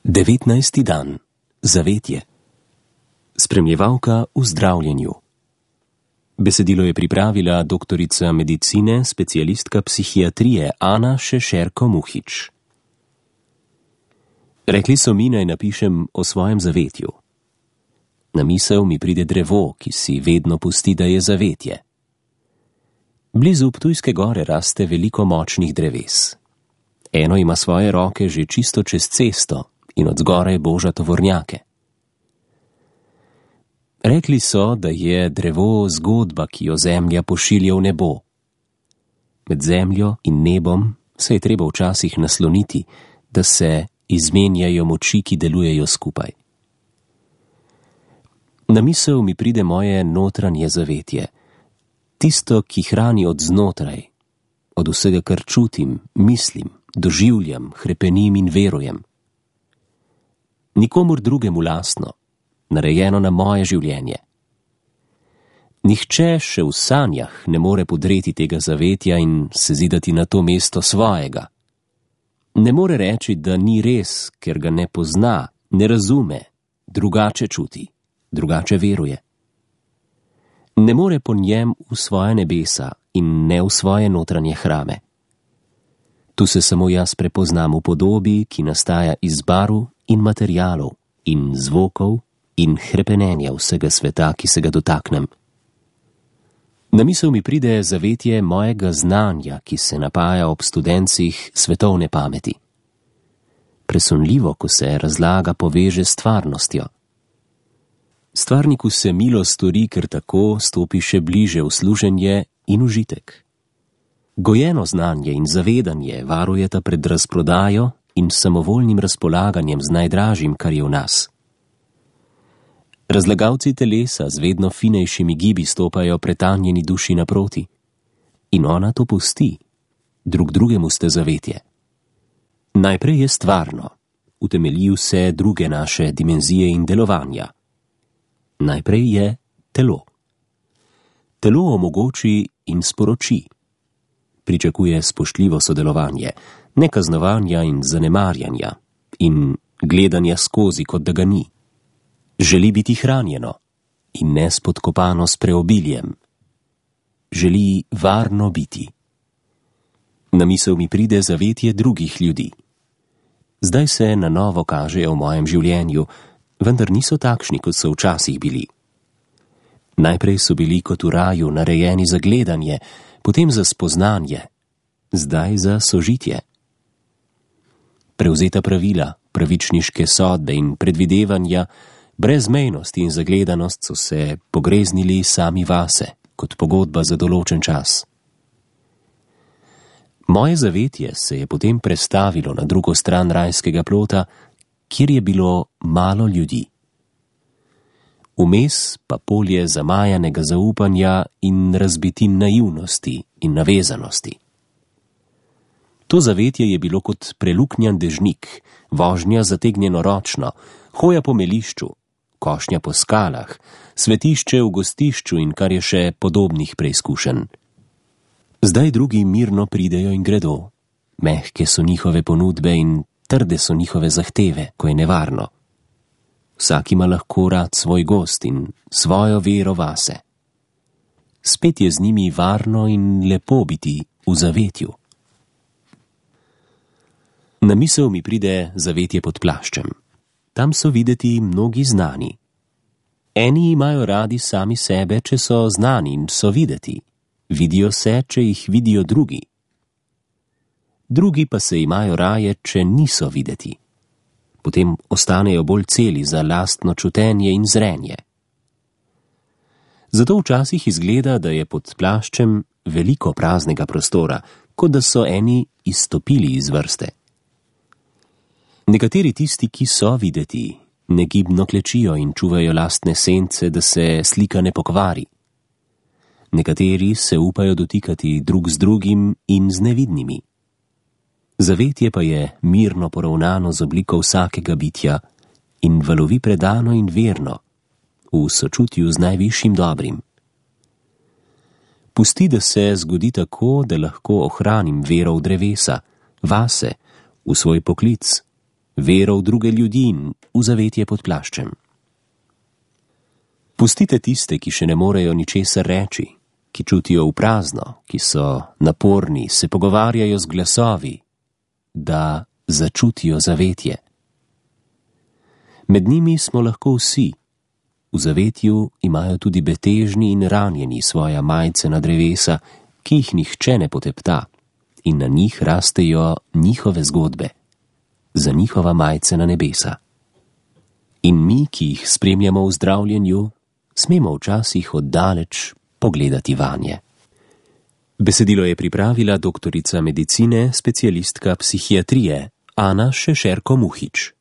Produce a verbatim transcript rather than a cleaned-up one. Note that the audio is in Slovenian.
devetnajsti dan. Zavetje. Spremljevalka v zdravljenju. Besedilo je pripravila doktorica medicine, specialistka psihiatrije Ana Šešerko Muhič. Rekli so mi, naj napišem o svojem zavetju. Na misel mi pride drevo, ki si vedno pusti, da je zavetje. Blizu Ptujske gore raste veliko močnih dreves. Eno ima svoje roke že čisto čez cesto in od zgoraj boža tovornjake. Rekli so, da je drevo zgodba, ki jo zemlja pošilja v nebo. Med zemljo in nebom se je treba včasih nasloniti, da se izmenjajo moči, ki delujejo skupaj. Na misel mi pride moje notranje zavetje, tisto, ki hrani od znotraj, od vsega, kar čutim, mislim, doživljam, hrepenim in verujem. Nikomur drugemu lastno, narejeno na moje življenje. Nihče še v sanjah ne more podreti tega zavetja in se zidati na to mesto svojega. Ne more reči, da ni res, ker ga ne pozna, ne razume, drugače čuti, drugače veruje. Ne more po njem v svoje nebesa in ne v svoje notranje hrame. Tu se samo jaz prepoznam v podobi, ki nastaja iz barv in materialov in zvokov in hrepenenja vsega sveta, ki se ga dotaknem. Na misel mi pride zavetje mojega znanja, ki se napaja ob študencih svetovne pameti. Presunljivo, ko se razlaga, poveže s stvarnostjo. Stvarniku se milo stori, ker tako stopi še bliže v služenje in užitek. Gojeno znanje in zavedanje varujeta pred razprodajo in samovoljnim razpolaganjem z najdražjim, kar je v nas. Razlagalci telesa z vedno finejšimi gibi stopajo pretanjeni duši naproti. In ona to pusti, drug drugemu ste zavetje. Najprej je stvarno, utemelji vse druge naše dimenzije in delovanja. Najprej je telo. Telo omogoči in sporoči. Pričakuje spoštljivo sodelovanje, ne kaznovanja in zanemarjanja in gledanja skozi, kot da ga ni. Želi biti hranjeno in ne spodkopano s preobiljem. Želi varno biti. Na misel mi pride zavetje drugih ljudi. Zdaj se na novo kažejo v mojem življenju, vendar niso takšni, kot so včasih bili. Najprej so bili kot v raju narejeni za gledanje, potem za spoznanje, zdaj za sožitje. Prevzeta pravila, pravičniške sodbe in predvidevanja, brezmejnost in zagledanost so se pogreznili sami vase, kot pogodba za določen čas. Moje zavetje se je potem prestavilo na drugo stran rajskega plota, kjer je bilo malo ljudi. Vmes pa polje zamajanega zaupanja in razbitin naivnosti in navezanosti. To zavetje je bilo kot preluknjan dežnik, vožnja zategnjeno ročno, hoja po melišču, košnja po skalah, svetišče v gostišču in kar je še podobnih preizkušenj. Zdaj drugi mirno pridejo in gredo, mehke so njihove ponudbe in trde so njihove zahteve, ko je nevarno. Vsak ima lahko rad svoj gost in svojo vero vase. Spet je z njimi varno in lepo biti v zavetju. Na misel mi pride zavetje pod plaščem. Tam so videti mnogi znani. Eni imajo radi sami sebe, če so znani in so videti. Vidijo se, če jih vidijo drugi. Drugi pa se imajo raje, če niso videti. Potem ostanejo bolj celi za lastno čutenje in zrenje. Zato včasih izgleda, da je pod plaščem veliko praznega prostora, kot da so eni izstopili iz vrste. Nekateri tisti, ki so videti, negibno klečijo in čuvajo lastne sence, da se slika ne pokvari. Nekateri se upajo dotikati drug z drugim in z nevidnimi. Zavetje pa je mirno poravnano z obliko vsakega bitja in valovi predano in verno, v sočutju z najvišjim dobrim. Pusti, da se zgodi tako, da lahko ohranim vero v drevesa, vase, v svoj poklic, vero v druge ljudi in v zavetje pod plaščem. Pustite tiste, ki še ne morejo ničesar reči, ki čutijo v prazno, ki so naporni, se pogovarjajo z glasovi, da začutijo zavetje. Med njimi smo lahko vsi. V zavetju imajo tudi betežni in ranjeni svoja majcena drevesa, ki jih nihče ne potepta, in na njih rastejo njihove zgodbe, za njihova majcena nebesa. In mi, ki jih spremljamo v zdravljenju, smemo včasih oddaleč pogledati vanje. Besedilo je pripravila doktorica medicine, specialistka psihiatrije Ana Šešerko Muhič.